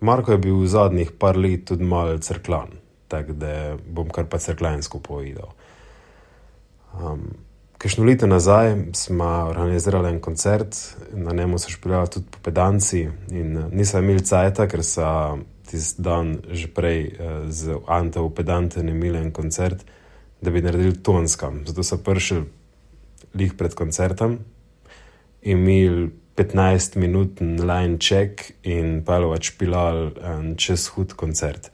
Marko je bil v zadnjih par let tudi malo crklan, tako da bom kar pa crkljansko povedal. Kakšno leto nazaj smo organizirali en koncert, na njemu so špilali tudi Popedanci in nisem imel cajta, ker so tisti dan že prej z Anto Popedantem imeli en koncert, da bi naredili tonskam. Zato so prišli lih pred koncertom, imeli 15-minuten line check in pelovač špilali čez hud koncert.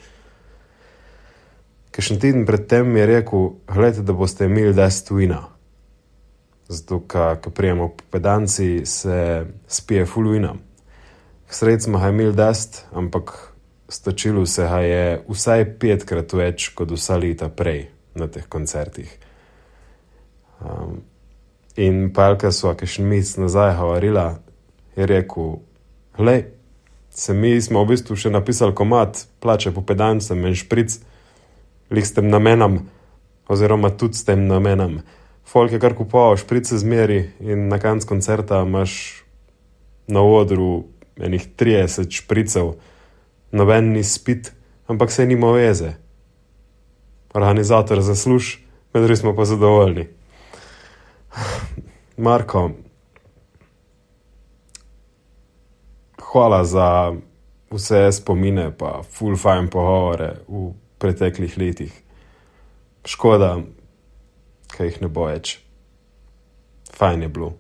Kakšen teden pred tem mi je rekel, gledajte, da boste imeli dosti vina. Zato, ko prijemo Popedanci, se spije ful vina. Sredi smo ga imeli dosti, ampak stočilo se ga je vsaj 5-krat več kot vsa leta prej na teh koncertih. In palka sva kakšen mesec nazaj govorila, je rekel, glej, mi smo v bistvu še napisali komad, plače Popedancem en špric, lih s tem namenom, oziroma tudi s tem namenom. Folk je kar kupoval šprice zmeri in na koncu koncerta imaš na odru enih 30 špricev, noben ni spit, ampak se nima veze. Organizator zasluž, med drugim smo pa zadovoljni. Marko, hvala za vse spomine pa ful fajn pogovore v preteklih letih. Škoda, kaj jih ne bo več. Fajn je bilo.